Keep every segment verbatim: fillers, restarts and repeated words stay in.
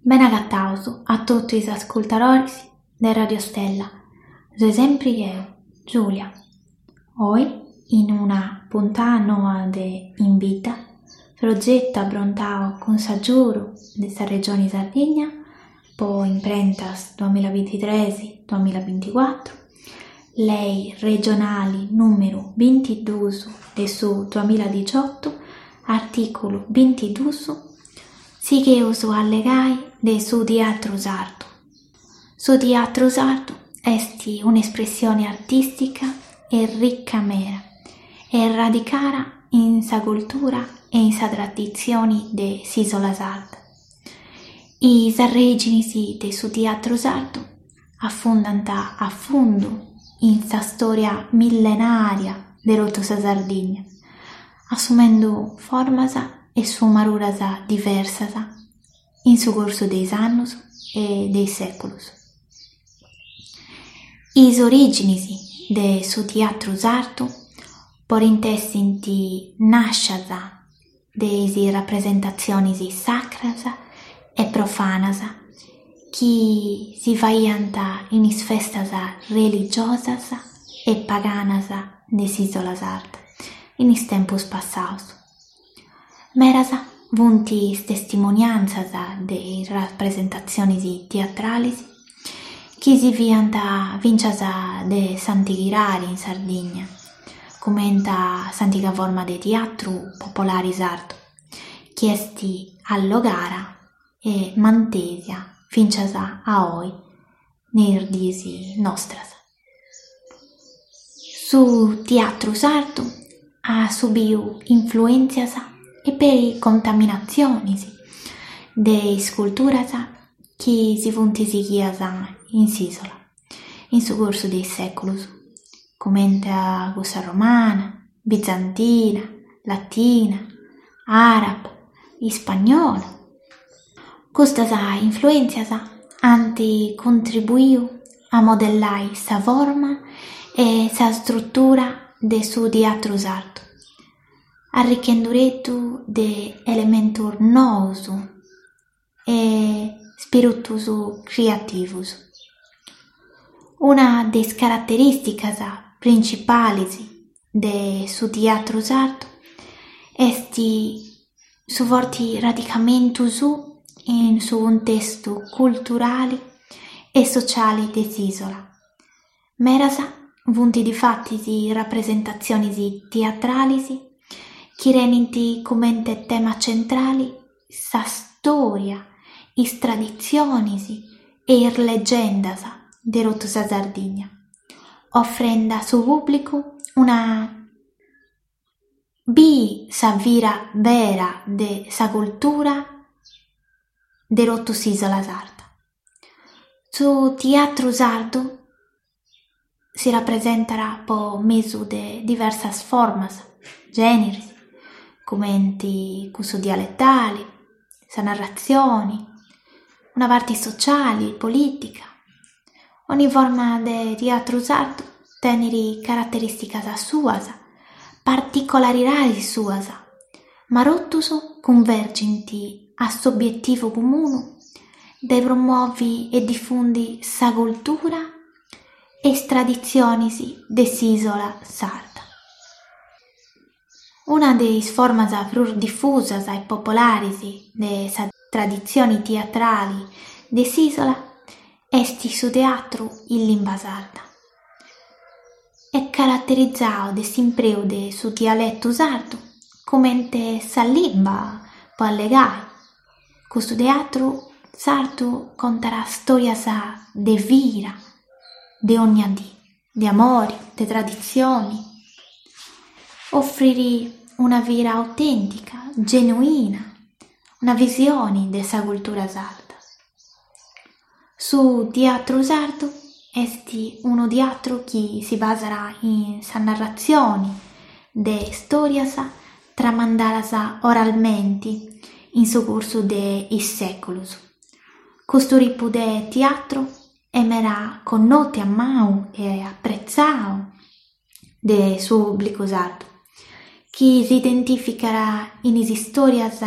Benagataus a totu is ascurtadoris de Radio Stella. Soi sempri jeo, Giulia. Oe, in una puntada noa de In Bidda, progetu aprontadu cun s'agiudu de sa Regione Sardigna pro imprentas duamilla bintitrès duamilla binticuatru, lei regionale nùmeru bintiduus de su duamilla diciotto, artìculu bintiduus, sigheus a allegai de su teatru sardu. Su teatru sardu est un'espressione artìstica e ricca meda e radicada in sa cultura e in sa traditzione de s'ìsula sarda. Is arrèigines de su teatru sardu afundant a fundu in sa stòria millenària de totu sa Sardigna, assumende formas e sfumaduras diversas in su cursu de is annos e de is sèculos. Is orìgines de su teatru sardu podent èssere nàschidas de is rapresentatziones sacras e profanas chi si faghiant in is festas religiosas e paganas de s'ìsula sarda in is tempos passados. Medas sunt is testimoniàntzias de is rapresentatziones teatrales chi si fiant fintzas de s'antighidade in Sardigna, comente s'antiga forma de teatru populare sardu, chi est allogada e mantesa fintzas a oe in is dies nostras. Su teatru sardu at subidu influèntzias e peri contaminatziones de is culturas chi si sunt sighidas in s'ìsula in su cursu de is sèculos, comente cussa romana, bizantina, latina, àraba, ispagnola. Custas influèntzias ant contribuidu a modellare sa forma e sa istrutura de su teatru sardu, arricchende de elementos noos e ispìritos creativos. Una de is caraterìsticas printzipales de su teatru sardu est su forte radicamentu suo in su cuntestu culturale e sotziale de s'ìsula. Medas sunt difatis is rapresentatziones teatrales chi tenent comente tema tzentrale sa istòria, is traditziones e is legendas de totu sa Sardigna, ofrende a su pùblicu una bìdere sa vida bera de sa cultura de totu s'ìsula sarda. Su teatru sardu si rapresentat pro mesu de diversas formas, gèneres, comente cussu dialetale, sa narratzione, una parte sotziale, polìtica. Ogni forma de teatru sardu tenet caraterìsticas suas, particularidades suas, ma totus cunvergent a s'obietivu comunu de promòvere e difùndere sa cultura e is traditziones de s'ìsula sarda. Una de is formas prus difusas e populares de sa traditzione teatrale de s'ìsula est su teatru in limba sarda. Est caraterizadu de s'impreu de su dialetu sardu comente sa limba pro allegare. Custu teatru sardu contat istòrias de vida, de ogna die, de amore, de traditzione. Ofrit una vida autèntica, genuina, una visione de sa cultura sarda. Su teatru sardu est unu teatru chi si basat in sa narratzione de istòrias tramandadas oralmente in su cursu de is sèculos. Custu tipu de teatru est meda connotu, amadu e apretzadu de su pùblicu sardu, chi si identìficat in is istòrias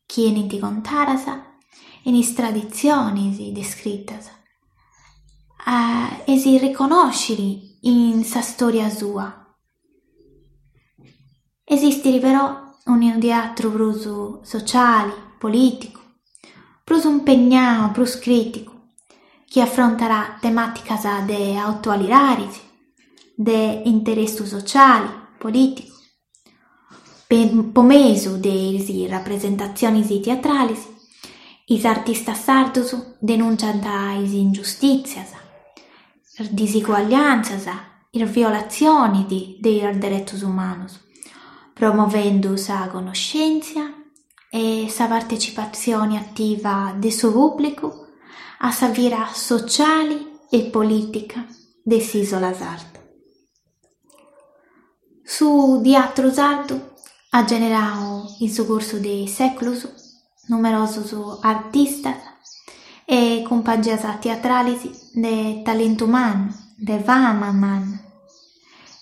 chi 'enint contadas in is traditzionis descritas e si riconosciri in sa storia sua. Esistit però unu teatru prus sociali, politicu, prus impegnau, prus criticu, chi afrontat tematicas de atualidadi, de interessu sociali, politicu. Po mesu de is rapresentatzionis teatralis, is artistas sardos denunciant is ingiustìtzias, is disigualliàntzias, is violatzionis de is deretos umanos, promovendu sa connoschèntzia e sa partecipatzione ativa de su pùblicu a sa vida sociale e polìtica de s'ìsula sarda. Su teatru sardu at generadu in su cursu de is sèculos numerosos artistas e cumpangias teatrales de talentu mannu, de fama manna,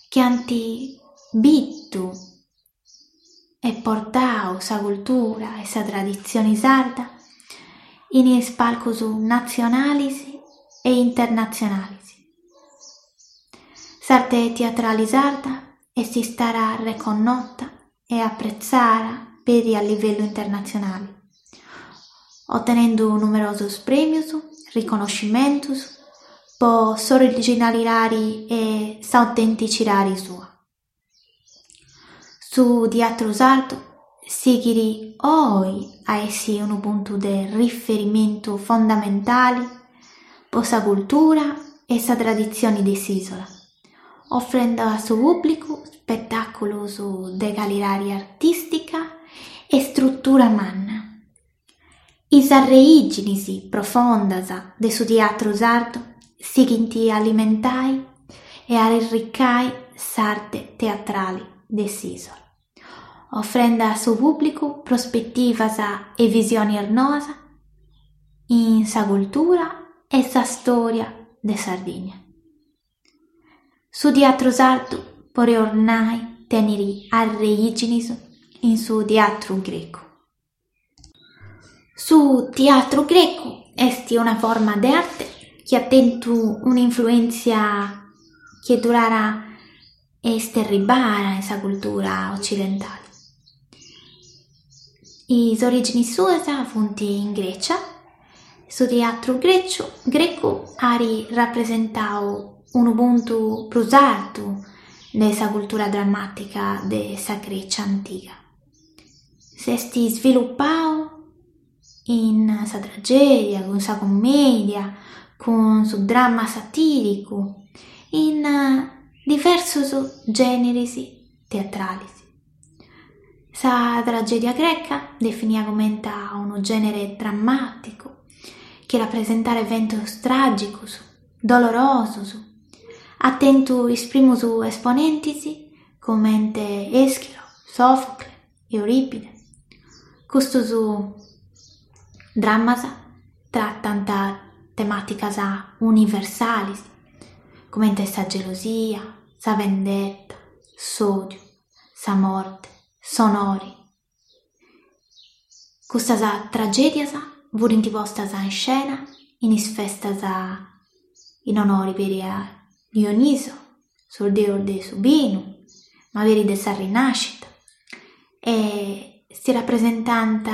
chi ant bidu e portadu sa cultura e sa traditzione sarda in is palcos natzionales e internatzionales. S'arte teatrale sarda est istada reconnota e apretzada peri a livellu internatzionale, otenende numerosos prèmios, riconnoschimentos pro s'originalidade e s'autentitzidade sua. Su teatru sardu sighit oe a èssere unu puntu de riferimentu fundamentale pro sa cultura e sa traditzione de s'ìsula, ofrende a su pùblicu ispetàculos de calidade artìstica e istrutura manna. Is arreìgines profundas de su teatru sardu sighint a alimentare e a arricare s'arte teatrale de s'ìsula, ofrende a su pùblicu prospetivas e visiones noas in sa cultura e sa istòria de Sardigna. Su teatru sardu podeus nai tenet arreìgines in su teatru grecu. Su teatru grecu est una forma de arte chi at tentu un'influèntzia chi est durada e est arribada in sa cultura otzidentale. Is orìgines suas sunt in Grècia. Su teatru grecu grecu at rapresentadu unu puntu prus artu de sa cultura drammàtica de sa Grècia antiga. S'est isvilupadu in sa tragèdia, cun sa cummèdia, cun su dramma satìricu, in diversos gèneres teatrales. Sa tragèdia greca, definida comente unu gènere drammàticu chi rapresentat eventos tràgicos, dolorosos, at tentu is primos esponentes comente Eschilo, Sòfocle, Eurìpide. Custos drammas tratant temàticas universales, comente sa gelosia, sa vendetta, s'òdiu, sa morte, s'onore. Custas tragèdias funt postas in iscena in is festas in onore peri a Dioniso, su deus de su binu, ma peri de sa rinàschida, e si rapresentant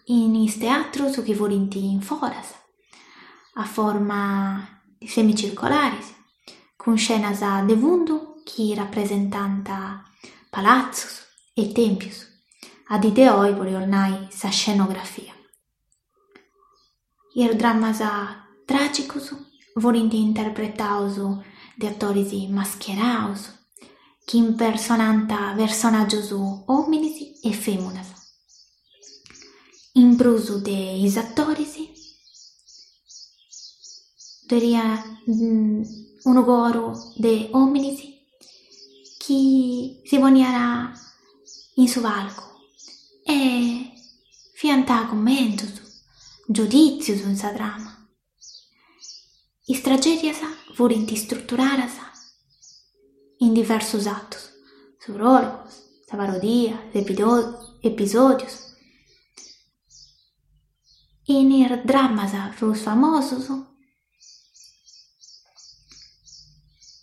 in is teatros chi funt in foras, a forma semicircolares, cun iscenas de fundu chi rapresentant palatzos e tèmpios. A die de oe podeus nai sa scenografia. Is drammas tràgicos funt interpretados de atores mascherados chi impersonant personàgios òmines e fèminas. In prus de is atores, ddoe unu coru de òmines chi si poniat in su palcu e fiant cummentos, giudìtzios in sa trama. Is tragèdias funt istruturadas in diversos atos, su pròlogu, sa parodia, episòdios. In is drammas prus famosos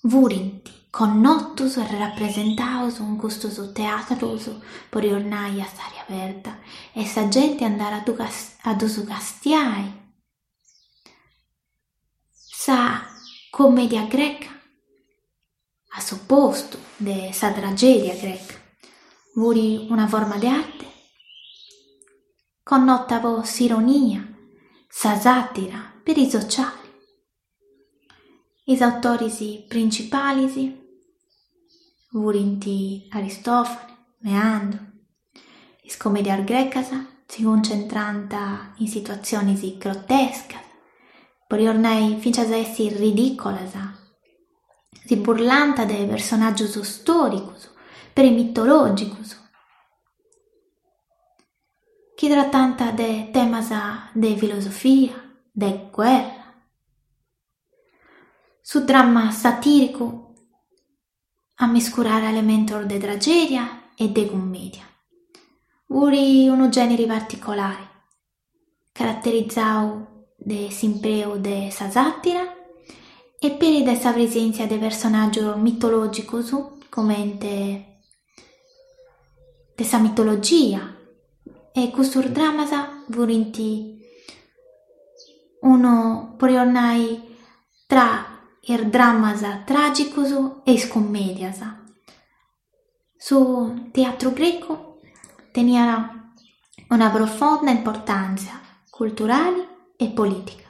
furint connotos e rapresentados in custos teatros, podeus nai a s'aria aberta, e sa gente andat a ddus castiai. Sa commedia greca, a s'opostu de sa tragedia greca, fut una forma de arte connota po s'ironia, sa sàtira, peri sociale. Is autores principales furint Aristofane, Meandro. Is commedias grecas si cuncentrant in situatziones grotescas, podeus nai fintzas a essi ridìcolas, si burlant de personàgios stòricos, peri mitològicos, chi tratant de temas de filosofia, de guerra. Su dramma satìricu ammiscurat elementos de tragèdia e de cummèdia. Fut unu gènere particolare, caraterizadu de s'impreu de sa sàtira e peri de sa presèntzia de personàgios mitològicos comente de sa mitologia, e custos drammas furint unu, podeus nai, tra is drammas tràgicos e is cummèdias. Su teatru grecu teniat una profonda importàntzia culturale e polìtica.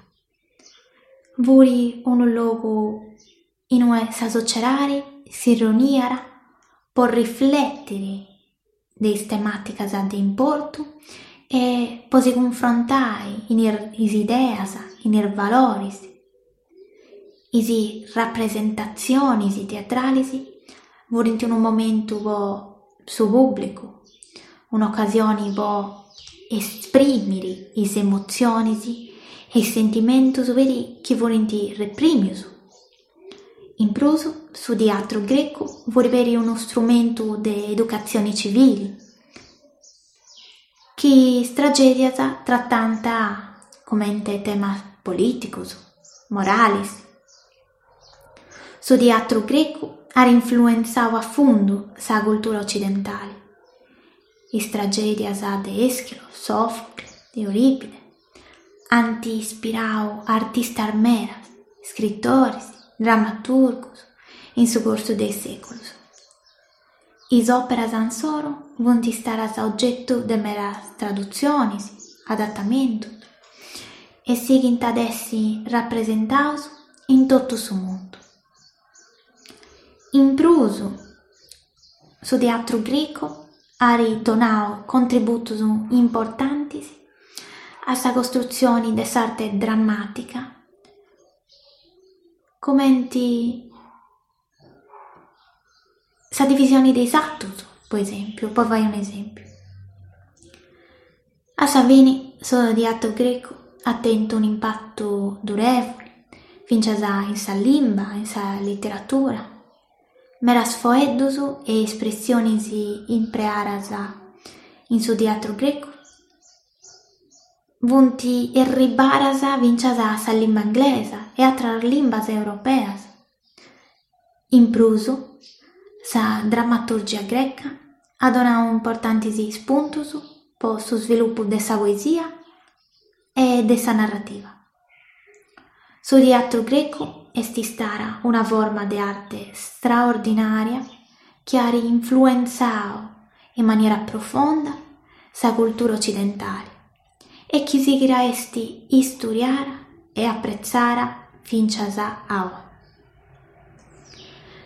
Fut unu logu in ue sa sotziedade si riuniat pro riflètere de is temàticas de importu e pro si cunfrontare in is ideas, in is valores. Is rapresentatziones teatrales furint unu momentu pro su pùblicu, un'ocasione pro esprimere is emotziones e is sentimentos peri chi furint reprimidos. In prus, su teatru grecu fut peri unu istrumentu de educatzione tzivile, chi is tragèdias tratant comente temas polìticos, morales. Su teatru grecu at influentzadu a fundu sa cultura otzidentale. Is tragèdias de Eschilo, Sòfocle, Eurìpide ant ispiradu artistas medas, iscritores, dramaturgos in su cursu de is sèculos. Is òperas issoro sunt istadas ogetu de medas tradutziones, adatamentos e sighint a èssere rapresentados in totu su mundu. In prus, su teatru grecu at donadu contributos importantes a sa costrutzione de s'arte drammàtica, comente sa divisione de is atos, pro esèmpiu, pro fàghere un'esèmpiu. A sa fine, su teatru grecu at tentu un'impatu durèvole, fintzas in sa limba, in sa literatura. Medas foeddos e espressiones impreadas in su teatru grecu funt arribadas fintzas a sa limba inglesa e àteras limbas europeas. In prus, sa drammaturgia greca at donadu importantes ispuntos pro su svilupu de sa poesia e de sa narrativa. Su teatru grecu est istada una forma de arte straordinària chi at influentzadu in manera profonda sa cultura otzidentale e chi sighit a èssere istudiada e apretzada fintzas a oe.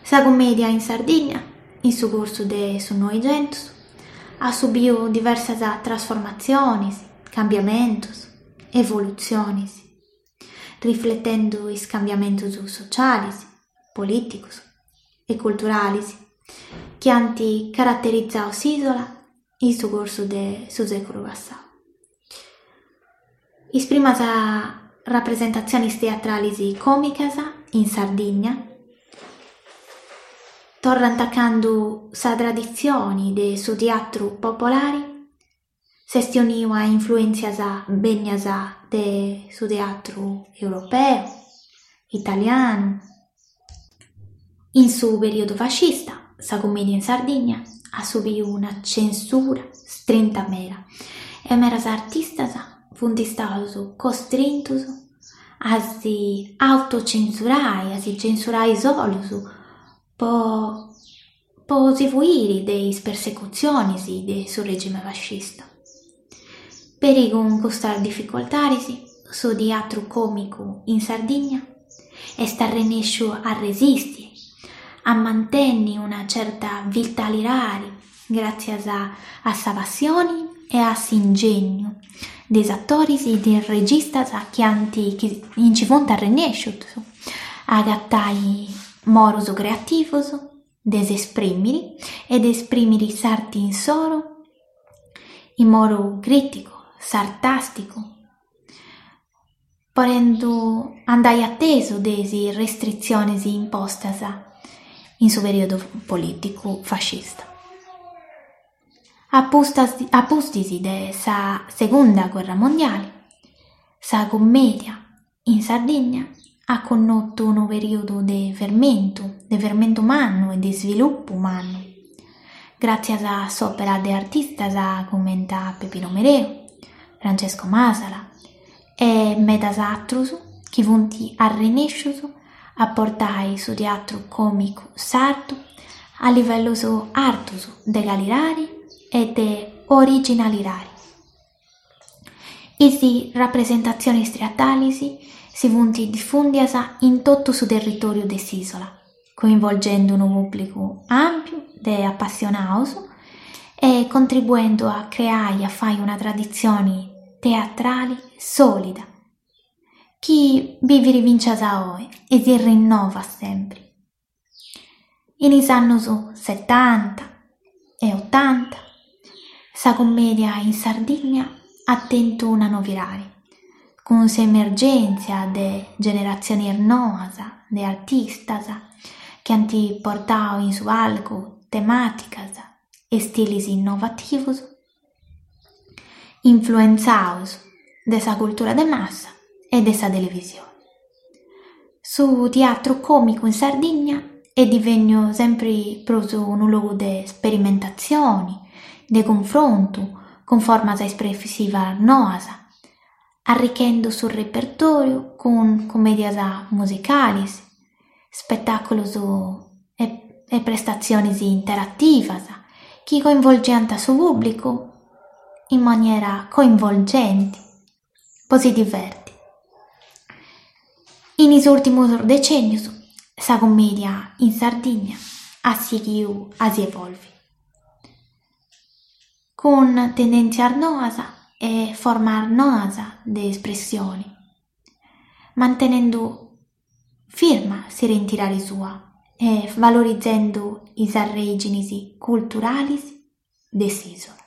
Sa cummèdia in Sardigna, in su cursu de su Noighentos, at subidu diversas trasformatziones, cambiamentos, evolutziones, rifletende is cambiamentos sotziales, polìticos e culturales chi ant caraterizadu s'ìsula in su cursu de su sèculu passadu. Is primas rapresentatziones teatrales còmicas in Sardigna torrant a cando sa traditzione de su teatru popolare s'est unidu a influèntzias bènnias de su teatru europeu, italianu. In su perìodu fascista sa cummèdia in Sardigna at subidu una censura strinta meda e medas artistas funt istados costrintos a si autocensurare, a si censurare solos pro pro si fuire de is persecutziones de su regime fascista. Peri cun custas dificultades su teatru còmicu in Sardigna est arrennèsciu a resìstere, a mantènnere una certa vitalidade gràtzias a sa passione e a s'ingegnu de is atores e de is registas chi ant chi nci funt arrennèscidos a agatare modos creativos de s'esprìmere e de esprìmere s'arte insoro in modu crìticu, sarcàsticu, podendo andare a tesu de is restritziones impostas in su perìodu polìticu fascista. A a pustis de sa segunda gherra mondiale sa cummèdia in Sardigna at connotu unu perìodu de fermentu, de fermentu mannu e de isvilupu mannu, gràtzias a s'òpera de artistas comente a Peppino Mereu, Francesco Masala e medas àteros chi funt arrennèscidos a portare su teatru còmicu sardu a livellos artos de calidade e de originalidade. Is rapresentatziones teatrales si funt difùndidas in totu su territòriu de s'ìsula, coinvolgendo unu pùblicu àmpiu de apassionados e contribuendo a creare e a fàghere una traditzione teatrale sòlida chi bivit fintzas a oe e si rinnovat semper. In is annos setanta e otanta sa cummèdia in Sardigna at tentu una novidade, cun s'emergèntzia de generatziones noas de artistas chi ant portadu in su palcu temàticas e istiles innovativos, influentzados de sa cultura de massa e de sa televisione. Su teatru còmicu in Sardigna est divènnidu semper prus unu logu de isperimentatzione, de cunfrontu cun formas espressivas noas, arrichende su repertòriu cun cummèdias musicales, ispetàculos e, e prestatziones interativas chi coinvolgiant su pùblicu in manera coinvolgente, pro si divertire. In is ùrtimos decènnios sa cummèdia in Sardigna at sighidu a si evòlvere, cun tendèntzias noas e formas noas de espressione, mantenende firma s'identidade sua e valorizende is arrèigines culturales de s'ìsula.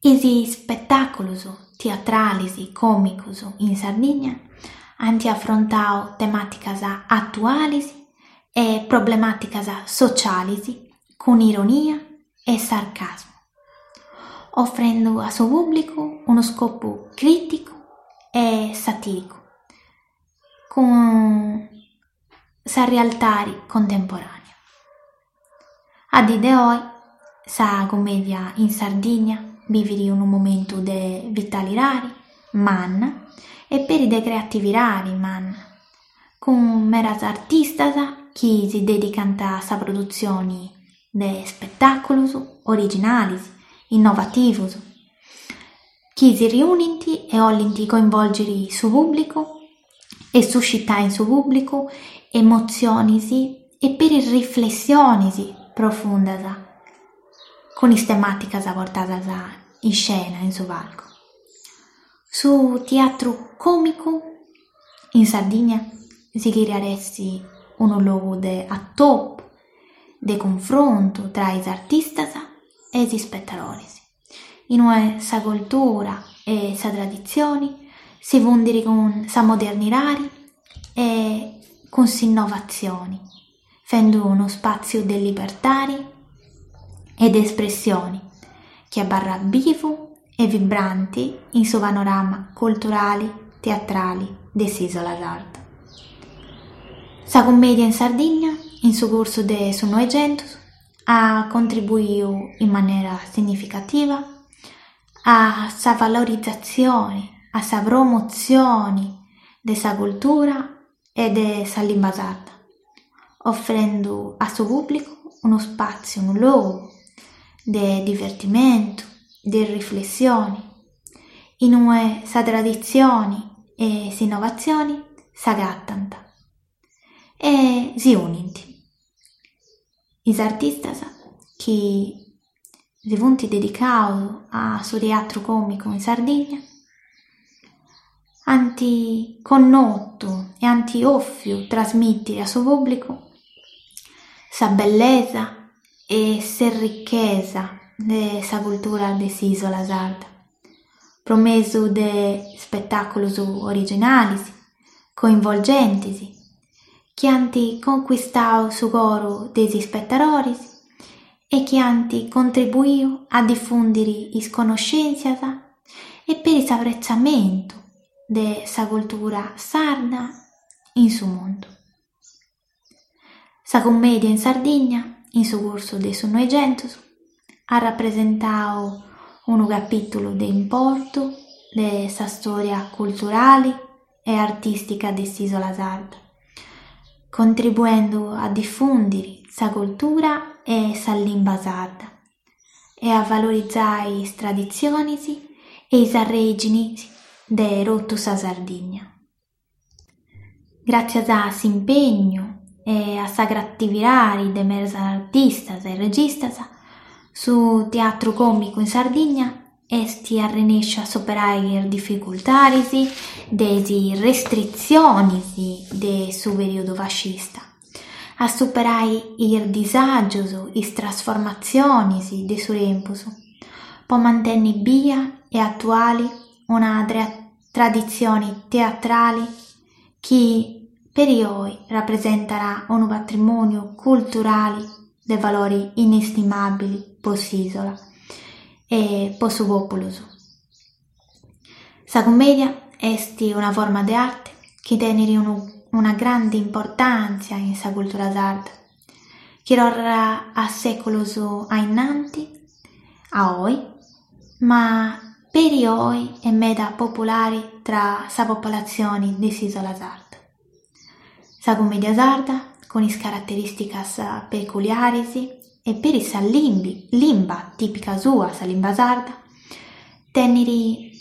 Is ispetàculos teatrales còmicos in Sardigna ant afrontadu temàticas atuales e problemàticas sotziales cun ironia e sarcasmu, ofrende a su pùblicu unu iscopu crìticu e satìricu cun sa realidade contemporànea. A die de oe sa cummèdia in Sardigna bivit unu momentu de vitalidade manna e peri de creatividade manna, cun medas artistas chi si dèdicant a sa produtzione de ispetàculos originales, innovativos, chi si riunint e bolent coinvòlgere su pùblicu e suscitare in su pùblicu emotziones e peri riflessiones profundas cun is temàticas portadas in iscena in su palcu. Su teatru còmicu in Sardigna sighit a èssere unu logu de atopu, de cunfrontu tra is artistas e is ispetadores, in ue sa cultura e sa traditzione si fundint cun sa modernidade e cun s'innovatzione, faghende unu ispàtziu de libertade e de espressione chi abarrat bivu e vibranti in su panorama culturale teatrale de s'Isola Sarda. Sa commedia in Sardigna, in su cursu de su Noighentos, at contribuidu in manera significativa a sa valorizatzione, a sa promotzione de sa cultura e de sa limba sarda, ofrendo a su pùblicu unu spàtziu, unu logu de divertimentu, de riflessione, in ue sa traditzione e s'innovatzione s'agatant e si unint. Is artistas chi si sunt dedicados a su teatru còmicu in Sardigna ant connotu e ant òfiu trasmìtere a su pùblicu sa bellesa e sa richesa de sa cultura de s'Ìsula sarda, pro mesu de ispetàculos originales, coinvolgentes, chi ant conchistadu su coro de is ispetadores e chi ant contribuidu a difùndere is connoschèntzias e peri s'apretzamentu de sa cultura sarda in su mundu. Sa commedia in Sardigna, in su cursu de su Noighentos, at rapresentadu unu capìtulu de importu de sa istòria culturale e artìstica de s'Ìsula sarda, contribuende a difùndere sa cultura e sa limba sarda e a valorizare is traditziones e is arrèigines de totu sa Sardigna. Gràtzias a s'impegnu e a sa creatividade de medas artistas e registas, su teatru còmicu in Sardigna est arrenèsciu a superare is dificultades de is restritziones de su perìodu fascista, a superare is disàgios, is trasformatziones de su tempus, pro mantènnere bia e atuale una traditzione teatrale chi peri oe rapresentat unu patrimòniu culturale de valore inestimàbile pro s'ìsula e pro su pòpulu suo. Sa commedia est una forma de arte chi tenet una grande importàntzia in sa cultura sarda, chi torrat a sèculos a innanti, a oe, ma peri oe est meda populare tra sa populatzione de s'ìsula sarda. Sa commedia sarda, cun is caraterìsticas peculiares e peri sa limba tìpica sua, sa limba sarda, tenet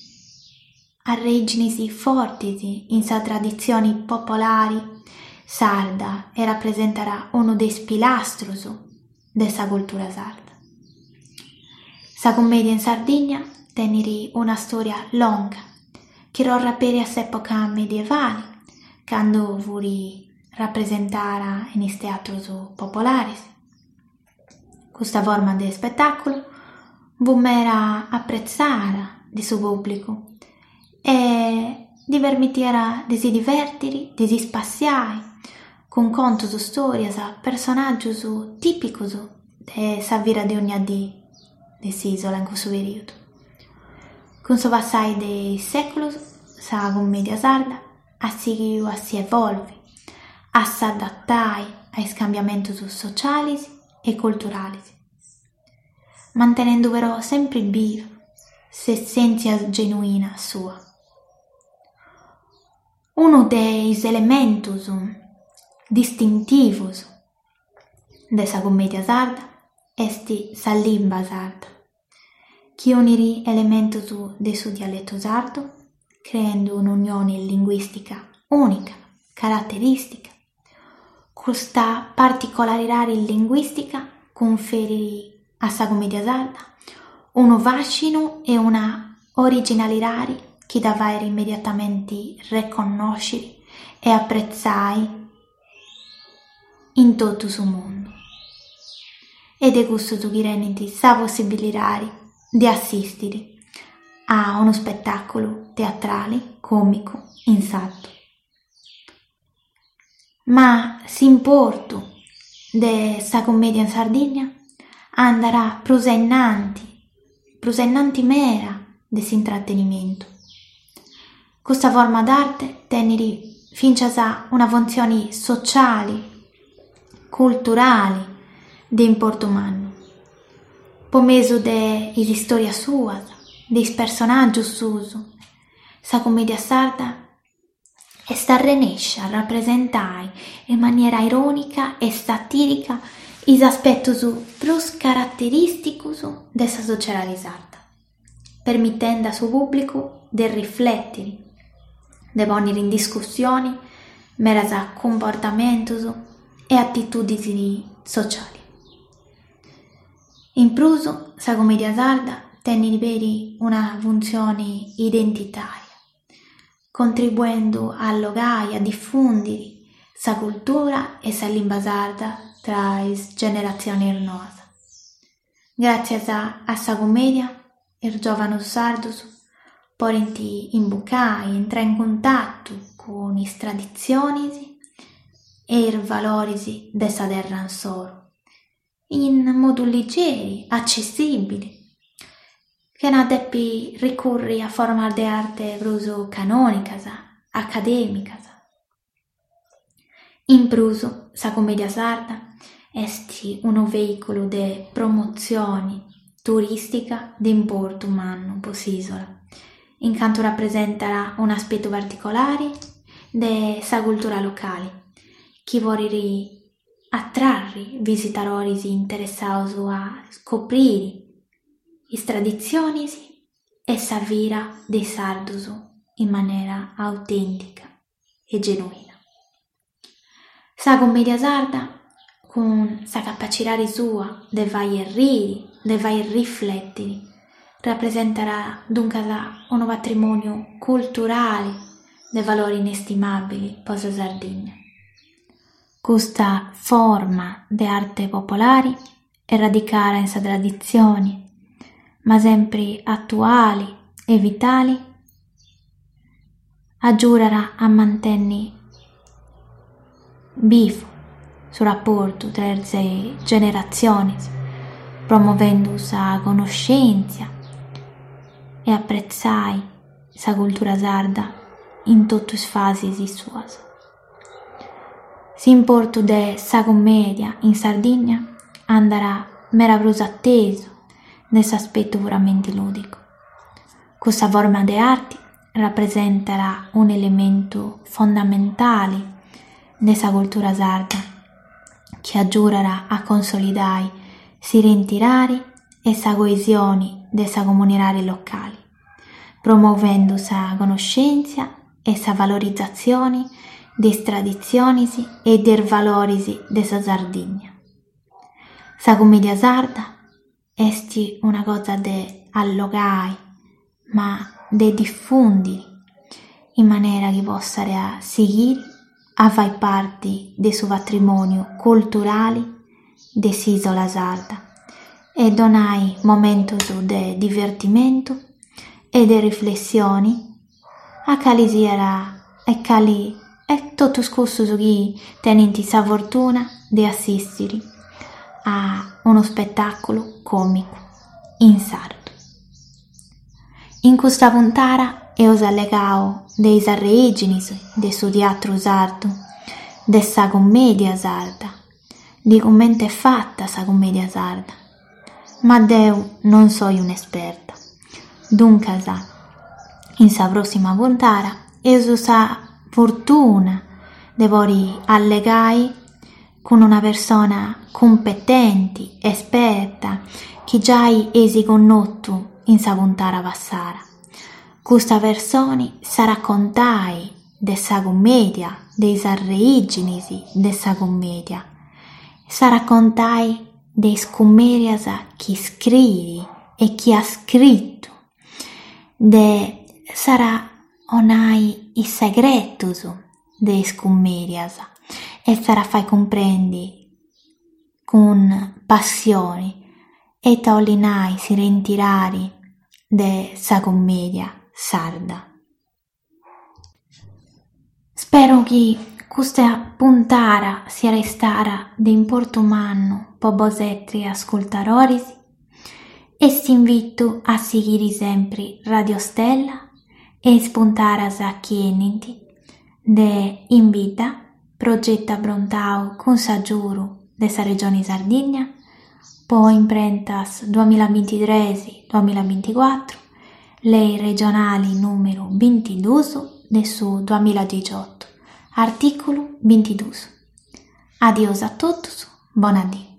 arrèigines fortes in sa traditzione populare sarda e rapresentat unu de is pilastros de sa cultura sarda. Sa commedia in Sardigna tenet una istòria longa chi torrat peri a s'època medievale, cando fuit rapresentada in is teatros populares. Custa forma de ispetàculu fuit meda apretzada de su pùblicu e ddi permitiat de si divèrtere, de si ispassiare cun contos, istòrias, personàgios tìpicos de sa vida de ogna die de s'ìsula in cussu perìodu. Cun su passare de is sèculos, sa commedia sarda at sighidu a si evòlvere, a s'adatare a is cambiamentos sotziales e culturales, mantenende però semper biva s'essèntzia genuina sua. Unu de is elementos distintivos de sa commedia sarda est sa limba sarda, chi unit elementos de su dialetu sardu, creende un'unione linguìstica ùnica, caraterìstica. Custa particularidade linguìstica cunferit a sa commedia sarda unu fàscinu e una originalidade chi dda faghet immediatamente reconnòschere e apretzare in totu su mundu. E de cussos chi tenent sa possibilidade de assìstere a unu ispetàculu teatrale còmicu in sardu. Ma s'importu de sa commedia in Sardigna andat prus a innanti, prus a innanti meda de s'intrattenimentu. Custa forma d'arte tenet fintzas una funtzione sociale, culturale, de importu mannu. Po mesu de is istòrias suas, de is personàgios suos, sa cummèdia sarda est arrenèscia a rapresentare in manera irònica e satìrica is aspetos prus caraterìsticos de sa sotziedade sarda, permitende a su pùblicu de riflètere, de pònnere in discussione medas cumportamentos e atitùdines sotziales. In prus, sa cummèdia sarda tenet peri una funtzione identitària, contribuende a allogare e a difùndere sa cultura e sa limba sarda tra is generatziones noas. Gràtzias a sa cummèdia, is giòvanos sardos podent imbucare e intrare in cuntatu cun is traditziones e is valores de sa terra issoro, in modu ligeri, atzessìbile, chena dèpere ricùrrere a formas de arte prus canònicas, acadèmicas. In prus, sa cummèdia sarda est unu veìculu de promotzione turìstica de importu mannu pro s'ìsula, in cantu rapresentat un'aspetu particulare de sa cultura locale, chi podet atràere visitadores interessados a iscoprire is traditziones e sa vida de is sardos in manera autèntica e genuina. Sa cummèdia sarda, cun sa capatzidade sua de fàghere rìere, de fàghere riflètere, rapresentat duncas unu patrimòniu culturale de valore inestimàbile pro sa Sardigna. Custa forma de arte popolare est radicada in sa traditzione, ma semper atuale e vitale, agiudat a mantènnere bivu su raportu tra is generatziones, promovende sa connoschèntzia e apretziare sa cultura sarda in totu is fases suas. S'importu de sa cummèdia in Sardigna andat meda prus a tesu de s'aspetu puramente lùdicu. Custa forma de arte rapresentat un'elementu fondamentale de sa cultura sarda, chi agiudat a consolidare s'identidade e sa coesione de sa comunidade locale, promovende sa connoschèntzia e sa valorizatzione de is traditziones e de is valores de sa Sardigna. Sa cummèdia sarda est una cosa de allogare, ma de difùndere, in manera chi possat sighire a fàghere parte de su patrimòniu culturale de s'ìsula sarda e donare momentos de divertimentu e de riflessione a cale siat e cale e totus cussos chi tenent sa fortuna de assìstere a unu ispetàculu còmicu in sardu. In custa puntada amus allegadu de is orìgines de su teatru sardu, de sa cummèdia sarda, de comente est fata sa cummèdia sarda. Ma deo non so un'esperta. Duncas, in sa pròssima puntada amus sa fortuna de pòdere allegare cun una persona cumpetente, esperta, chi giai eis connotu in sa puntada passada. Custa persona s'at a contare de sa cummèdia, de is orìgines de sa cummèdia. S'at a contare de is cummèdias chi iscriet e chi at iscritu, de s'at a donare is segretos de is cummèdias e s'at a fàghere cumprèndere cun passione ite bolet nàrrere s'identidade de sa cummèdia sarda. Spero chi custa puntada siat istada de importu mannu pro bosateros ascurtadores E s'invitu a sighire sempre Radio Stella e is puntadas chi 'enint de In Bidda, progetu abrontadu cun s'agiudu de sa Regione Sardigna, po imprentas duamillabintitrès duamillabinticuatru, lei regionale nùmeru bintiduos de su duamilladicioto, artìculu bintiduos. Adiosu a totus, bona die.